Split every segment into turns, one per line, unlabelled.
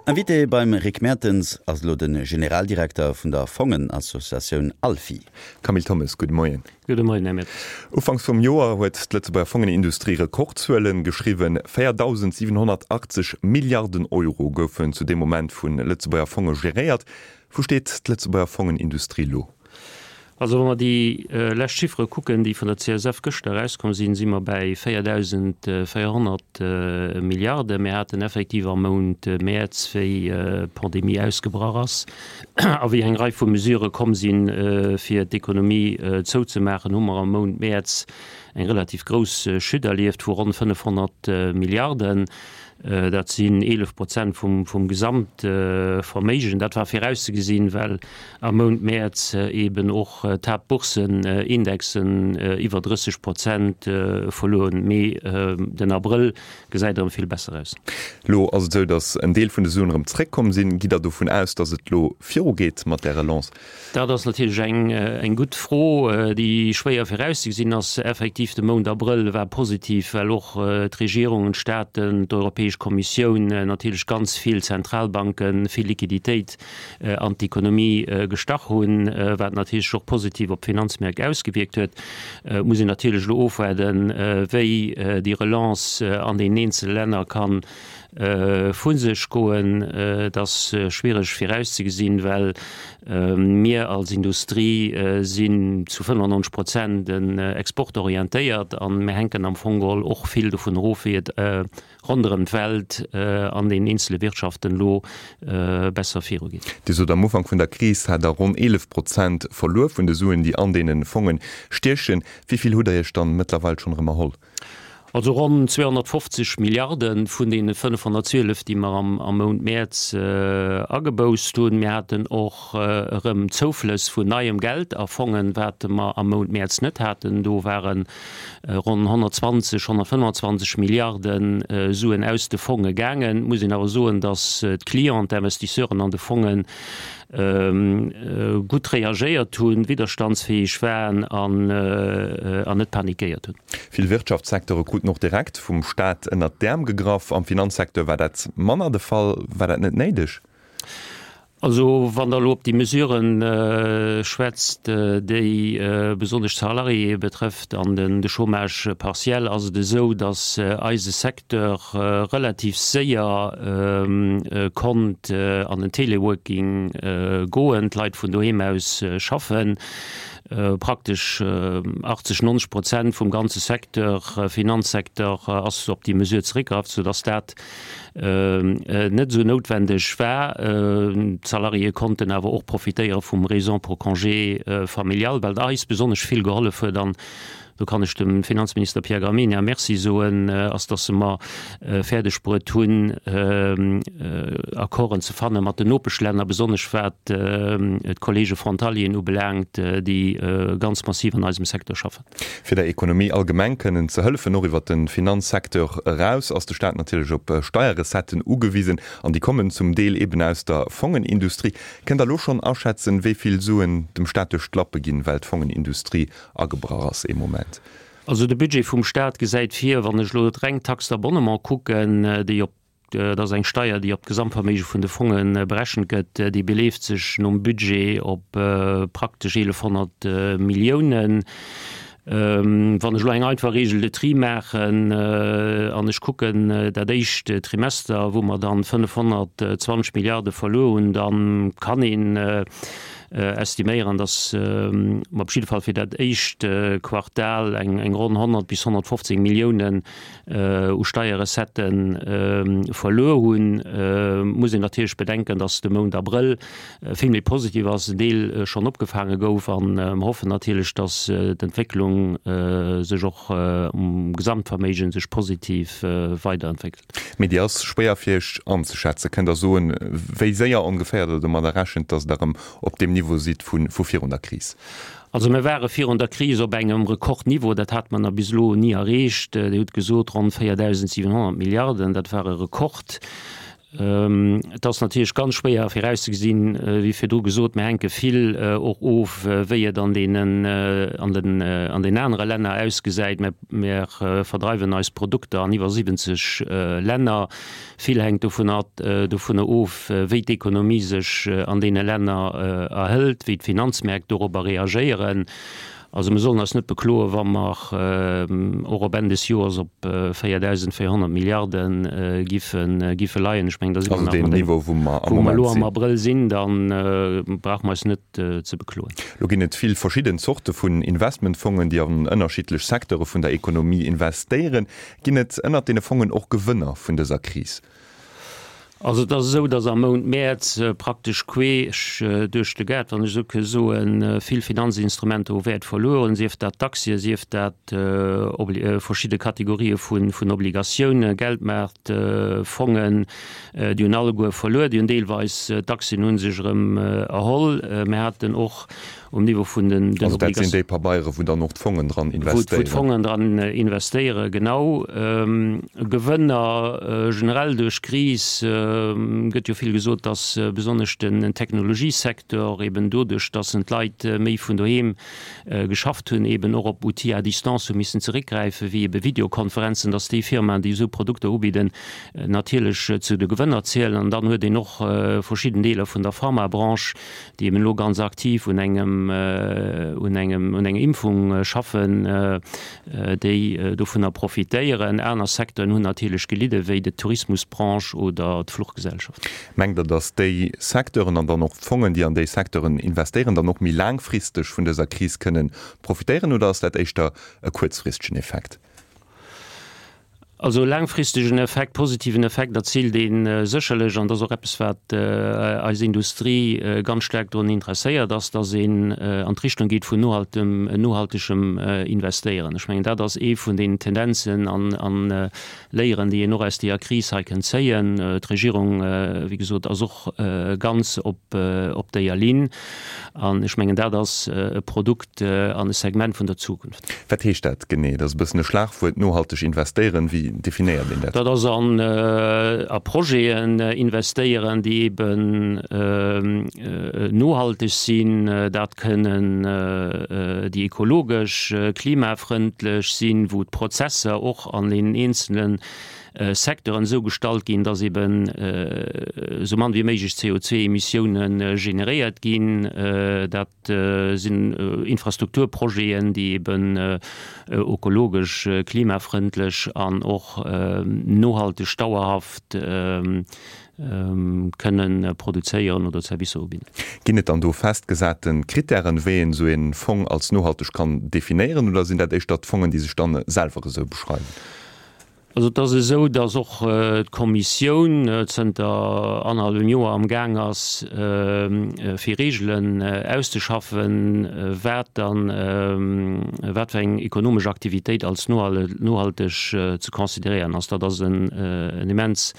Invité beim Rick Mertens ass elo de Generaldirekter vun der Fongenassociatioun ALFI.
Camille Thommes, gudde Moien.
Gudde Moien, Här Mertens.
Ufanks vum Joer huet d'Lëtzebuerger Fongenindustrie Rekordzuele geschriwwen. 4.780 Milliarden Euro goufen zu deem Moment vu Lëtzebuerger Fonge geréiert. Wou steet d'Lëtzebuerger Fongenindustrie lo?
Also wa mer déi lescht Chiffere kucken, déi vun der CSF gëschter erauskomm sinn, si mer bäi 4.400 Milliarden. Mir haten effektiv am Mount Mäerz, wéi d'Pandemie ausgebrach ass a wéi eng Rei vu Mesurë komm sinn, fir d'Ekonomie zouzemaachen, hu mer am Mount Mäerz eng relativ grouss Chute erlieft vu ronn 500 Milliarden. Dat sinn 11 Prozent vum Gesamtverméigen. Dat war virauszegesinn, well am Mount Mäerz eeben och d'Haaptboursenindexen iwwer 30 Prozent verluer hunn. Mee den Abrëll gesäit erëm vill besser aus.
Elo ass et esou, datt en Deel vun de Suen erëm zeréckkomm sinn. Gitt Der dovun aus, datt et elo virugeet mat där Relance?
Dat ass natierlech eng gutt Fro, déi schwéier virauszegesinn ass. Effektiv, de Mount Abrëll war positiv, well och d'Regierungen, d'Staaten, d'Europäesch Kommissioun, natierlech ganz vill Zentralbanken vill Liquiditéit an d'Ekonomie gestach hunn, wat natierlech sech och positiv op d'Finanzmärk ausgewierkt huet. Et muss een natierlech elo ofwaarden, wéi déi Relance an deenen eenzele Länner kann vu sech goen. Et ass schwiereg virauszegesinn, well mir als Industrie sinn zu 95 Prozent exportorientéiert a mir hänken am Fong geholl och vill dovun erof, wéi et ronderëm d'Welt an den eenzele Wirtschaften elo besser virugeet.
Dir sot, am Ufank vun der Kris hat Der ronn 11 Prozent verluer vun de Suen, déi an deene Fonge stiechen. Wéi vill hutt Der Iech dann mëttlerweil schonn erëm erholl?
Also ronn 250 Milliarde vun deene 512, déi mer am Mount Mäerz ageboußt hunn. Mir haten och erëm Zouflëss vun neiem Geld a Fongen, wat mer am Mount Mäerz net haten. Do ware ronn 120, 125 Milliarde Suen aus de Fonge gaangen. Et muss een awer soen, datt d'Clienten, d'Investisseuren an de Fongen gutt reagéiert hunn, widderstandsfäeg waren an net panikéiert hunn.
Vill Wirtschaftssecteure kruten och direkt vum Staat ënnert d'Äerm gegraff. Am Finanzsecteur war dat manner de Fall. War dat net néideg?
Also wann Der elo op déi Mesuren schwätzt, déi besonnesch d'Salariéë betrëfft an de Chômage partiel, ass et esou, datt eise Secteur relativ séier konnt an den Teleworking goen, d'Leit vun doheem aus schaffen. Praktesch 80, 90 Prozent vum ganze Secteur, Finanzsecteur, ass op déi Mesure zeréckgraff, soudass dat net esou noutwendeg war. D'Salariéë konnten awer och profitéiere vum Raison pour congé familial, wat eis besonnesch vill gehollef huet an do kann ech dem Finanzminister Pierre Gramegna Merci soen, ass, dass se mer fäerdeg bruet hunn, Accorden ze fanne mat den Nopeschlänner, besonnesch wat d'Kollege Frontalieren ubelaangt, déi ganz massiv an eisem Secteur schaffen.
Fir der Ekonomie allgemeng kënnen ze hëllefen, och iwwert de Finanzsecteur eraus, ass de Staat natierlech op Steierrecetten ugewisen, an déi kommen zum Deel eben aus der Fongenindustrie. Kënnt Der elo schonn aschätzen, wéi vill Suen dem Staat duerch d'Lappe ginn, well d'Fongenindustrie agebrach ass ee Moment.
Also de Budget vum Stat gesäit vir, wann ech elo d'reng Taxe d'abonnement kucken, déi op, dat ass eng Steier, déi op d'Gesamtverméige vun de Fonge berechent gëtt, déi beleeft sech nom Budget op praktesch 1.100 Milliounen. Wann ech elo eng einfach Règle de tri maachen an ech kucken dat éischt Trimester, wou mer dann 520 Milliarde verluer hunn, da kann een, estiméieren, datt mer op jidde Fall fir dat éischt Quartal eng ronn 100 bis 115 Milliounen u Steierrecettë verluer hunn. Muss een natierlech bedenken, datt de Mount Abrëll vill méi positiv ass, en Deel schonn opgefaange gouf a mer hoffen natierlech, datt d'Entwécklung sech och um Gesamtverméigen sech positiv weiderentwéckelt.
Mee déi ass schwéier fir Iech anzeschätzen. Kënnt Der soen, wéi séier ongeféier Der domadder rechent, datt Der erëm op deem Niveau sidd vu virun der Kris?
Also mir ware virun der Kris op engem Rekordniveau, dat hate mer nach bis elo ni erreecht. Dir hutt gesot, ronn 4.700 Milliarden, dat war e Rekord. Et ass natierlech ganz schwéier virauszegesinn, wéi virdru gesot, mir hänke vill och of, wéi et an deenen, an den, an den anere Länner ausgesäit. Mir, mir verdreiwen eis Produkter an iwwer 70 Länner. Vill hänkt dovun, dovunner of, wéi d'Ekonomie sech an deene Länner erhëlt, wéi d'Finanzmärk dorobber reagéieren. Also mir sollen eis net bekloen, wa mer och op Enn des Joers op 4.400 Milliarde giffe leien. Ech mengen, da si mer nach mat engem, wou mer elo am Abrëll sinn, da brauche mer eis net ze bekloen.
Elo ginn et vill verschidden Zorte vun Investmentfongen, déi an ënnerschiddlech Secteure vun der Ekonomie investéieren. Ginn et ënnert deene Fongen och Gewënner vun dëser Kris?
Also et ass esou, datt am Mount Mäerz praktesch queesch duerch de Gaart, wann ech esou ke soen, vill Finanzinstrumenter u Wäert verluer hunn, sief dat d'Aktien, sief dat verschidde Kategorië vun Obligatiounen, Geldmaartfongen, déi hunn alleguer verluer. Déi hunn deelweis, d'Aktien hu sech erëm erholl. Mir haten och um Niveau vun den
Also dat sinn déi Pabeiere wou dann och d'Fongen dran investéieren.
Wou d'Fongen dran investéieren, genau. Gewënner generell duerch d'Kris, gëtt jo vill gesot, datt besonnesch den Technologiesecteur eben doduerch, datt en d'Leit méi vun doheem geschafft hunn, eben och op Outils à distance hu missen zeréckgräifen, wéi ebe Videokonferenzen, datt déi Firmaen, déi esou Produkter ubidden, natierlech zu de Gewënner zielen. An dann huet een och verschidden Deeler vun der Pharmabranche, déi eben elo ganz aktiv un engem, un engem, un enger Impfung schaffen, déi dovunner profitéieren. Aner Secteuren hunn natierlech gelidden, wéi d'Tourismusbranche oder d'Fluchgesellschaften.
Mengt Der, datt déi Secteuren an dann och d'Fongen, déi an déi Secteuren investéieren, dann och méi laangfristeg vun dëser Kris kënnen profitéieren oder ass dat éischter e kuerzfristegen Effekt?
Also e laangfristegen Effekt, positiven Effekt erziilt ee sécherlech, an dat ass och eppes, wat eis Industrie ganz staark drun interesséiert ass, datt een an d'Richtung geet vun nohaltem, nohaltegem Investéieren. Ech mengen, dat ass ee vun den Tendenzen an Léieren, déi een och aus deeër Kris hei kënnt zéien. D'Regierung, wéi gesot, ass och ganz op deeër Linn. An ech mengen, dat ass e Produkt an e Segment vun der Zukunft.
Wat heescht dat genee? Dat ass e bëssen e Schlagwuert, nohalteg investéieren. Wéi definéiert een dat?
Dat ass an a Projeten investéieren, déi eben nohalteg sinn. Dat kënnen déi ekologesch, klimafrëndlech sinn, wou d'Prozesser och an den eenzele Secteuren esou gestallt ginn, dass eben esou mann wéi méiglech CO2-Emissioune generéiert ginn. Dat sinn Infrastrukturprojeten, déi eben ökologesch, klimafrëndlech an och nohalteg, dauerhaft kënnen produzéieren oder Servicer ubidden.
Ginn et dann do festgesate Krittären, wéi een esou ee Fong als nohalteg kann definéieren, oder sinn dat éischter d'Fongen, déi sech dann selwer esou beschreiwen?
Also et ass esou, datt och d'Kommissioun zënter annerhallwem Joer am Gaang ass, fir Reegelen auszeschaffen, wat dann, wat fir eng ekonomesch Aktivitéit als nohalteg ze consideréieren ass. Dat ass en immens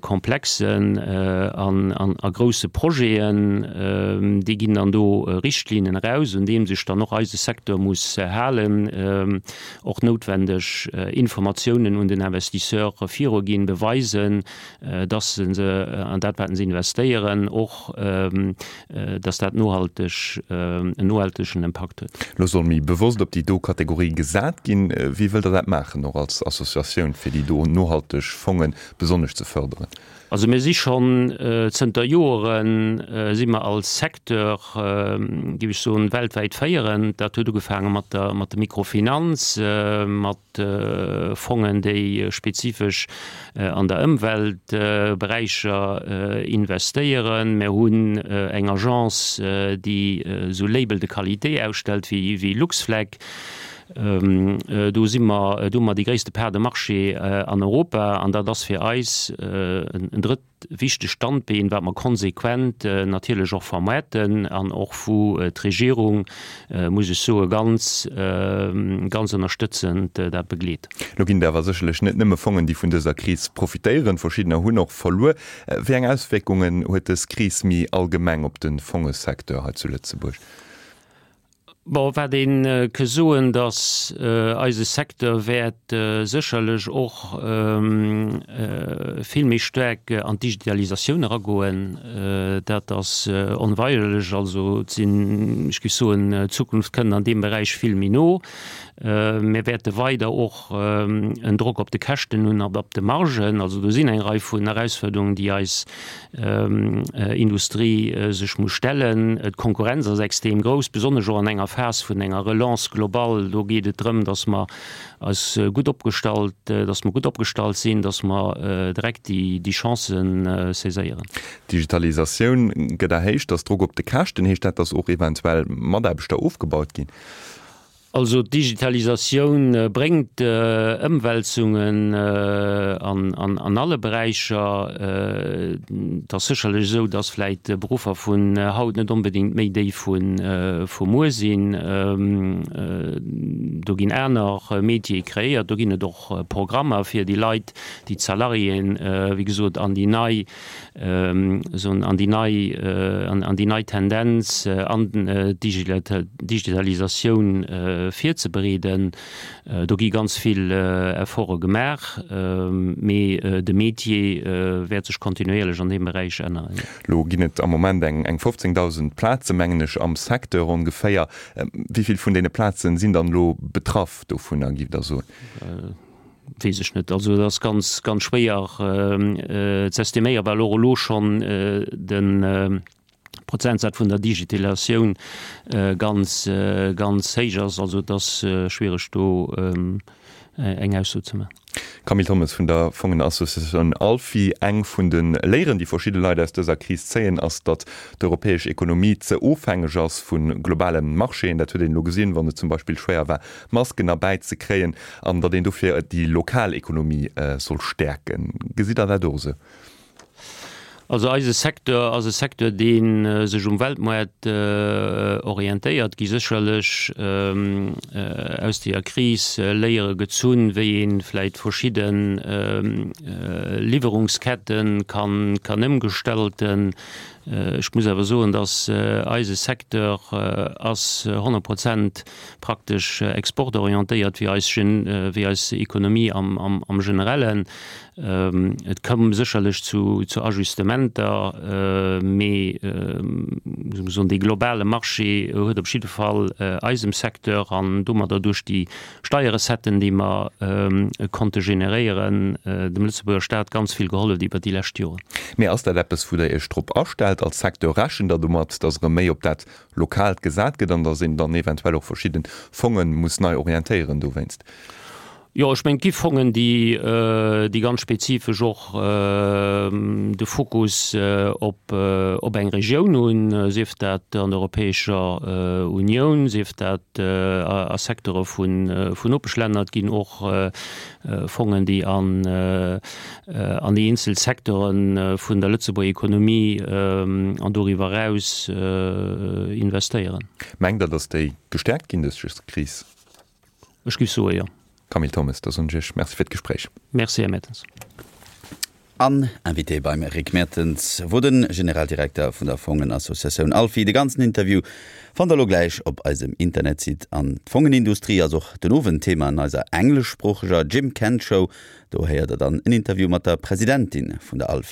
komplexen an a grousse Projeten. Déi ginn dann do Richtlinnen eraus, un deem sech dann och eise Secteur muss halen, och noutwendeg Informatiounen un den Investisseur viruginn, beweisen, dass se an dat, wat se investéieren, och dass dat nohalteg, en nohaltegen Impakt huet.
Elo soll méi bewosst op déi do Kategorie gesat ginn. Wéi wëllt Der dat maachen, och als Associatioun, fir déi do nohalteg Fonge besonnesch ze fërderen?
Also mir si schonn zënter Joere si mer als Secteur, géif ech soen, weltwäit féierend. Dat huet ugefaange mat der mat der Mikrofinanz, mat Fongen, déi spezifesch an der Ëmwelt Beräicher investéieren. Mir hunn eng Agence, déi esou Label de qualité ausstellt wéi Luxflag. Do si mer, do hu mer déi gréisste Part de marché an Europa an dat ass fir eis en drëtt wichtegt Standbeen, wat mer konsequent natierlech och vermoarten an och wou d'Regierung, muss ech soen, ganz, ganz ënnerstëtzend dat begleet.
Elo ginn et awer sécherlech net nëmme Fongen, déi vun dëser Kris profitéieren. Verschiddener hunn och verluer. Wéi eng Auswierkungen huet dës Kris méi allgemeng op de Fongesecteur hei zu Lëtzebuerg?
Bon, wat ee ke soen, datt eise Secteur wäert sécherlech och. vill méi staark an d'Digitalisatioun eragoen. Dat ass onweigerlech. Also et sinn, ech géif soen, d'Zukunft kënnt an deem Beräich vill méi no. Mir wäerte weider och en Drock op de Käschten hunn an op de Margen. Also do sinn eng Rei vun Erausfuerderungen, déi eis Industrie sech muss stellen. D'Konkurrenz ass extrem grouss, besonnesch och an enger Phas vun enger Relance globale. Do geet et drëm, datt mer eis gutt opgestallt, datt mer gutt opgestallt sinn, datt mer direkt déi Chancen saiséieren.
D'Digitalisatioun gëtt erhéicht, dass Drock op de Käschten. Heescht dat, dass och eventuell Mataarbechter ofgebaut ginn?
Also d'Digitalisatioun bréngt Ëmwälzungen an alle Beräicher. Et ass sécherlech esou, datt vläicht Beruffer vun haut net onbedéngt méi déi vu muer sinn. Do ginn aner Métiere kreéiert, do ginn et och Programmer fir déi Leit, déi d'Salariéen, wéi gesot, an déi nei soen, an déi nei, an déi nei Tendenz an d'Digitalisatioun virzebereeden. Do gi ganz vill Efforte gemaach, mee de Métier wäert sech kontinuéierlech an deem Beräich änneren.
Elo ginn et am Moment eng 15.000 Plaze mengen ech am Secteur ongeféier. Wéi vill vun deene Plazen sinn dann elo betraff dovunner, giff Der soen?
Weess ech net. Also et ass ganz, ganz schwéier z'estiméieren, well och elo schonn de Prozentsaz vun der Digitalisatioun ganz, ganz héich ass. Also et ass schwiereg do eng Ausso ze maachen.
Camille Thommes vun der Fongenassociatioun ALFI, Eng vun de Léieren, déi verschidde Leit aus dëser Kris zéien, ass, datt d'europäesch Ekonomie ze ofhängeg ass vu globale Marchéen. Dat huet een elo gesinn, wann et zum Beispill schwéier war, Masken erbäi ze kréien, an datt een dofir déi lokal Ekonomie soll stäerken. Gesitt Der dat och esou?
Also eise Secteur ass e Secteur, dee sech um Weltmoart orientéiert. Gi sécherlech aus deeër Kris Léiere gezunn, wéi ee vläicht verschidde Liwwerungskette kann ëmgestalten. Ech muss awer soen, datt eise Secteur ass 100 Prozent praktesch exportorientéiert wéi eis, wéi eis Ekonomie am Generellen. Et koum sécherlech zu Ajustementer, mee muss soen, dee globale Marché huet op jidde Fall eisem Secteur an domadder duerch déi Steierrecetten, déi mer konnte generéieren, dem Lëtzebuerger Staat ganz vill gehollef iwwert déi lescht Joren.
Mee ass dat eppes, wou Der Iech drop astellt als Secteur? Rechent Der domat, datt erëm méi op dat Lokaalt gesat gëtt an datt een dann eventuell och verschidde Fonge muss nei orientéieren dowéinst?
Jo, ech mengen, et gi Fongen, déi, déi ganz spezifesch och de Fokus op, op eng Regioun hunn, sief dat an der Europäescher Unioun, sief dat a Secteure vun, vun Nopeschlänner. Et ginn och Fongen, déi an, an déi eenzel Secteure vun der Lëtzebuerger Ekonomie an doriwwer eraus investéieren.
Mengt Der, datt déi gestäerkt ginn duerch dës Kris?
Ech géif soe jo.
Camille Thommes, da soen ech Iech Merci fir d'Gespréich.
Merci, Här Mertens.
An Invité beim Rick Mertens wor de Generaldirekter vun der Fongenassociatioun ALFI. De ganzen Interview fannt der lo gläich op eisem Internetsite. An d'Fongenindustrie ass och den Owend Thema an eiser engleschsproocheger Jim Kent Show. Do héiert der dann en Interview mat der Presidentin vun der ALFI.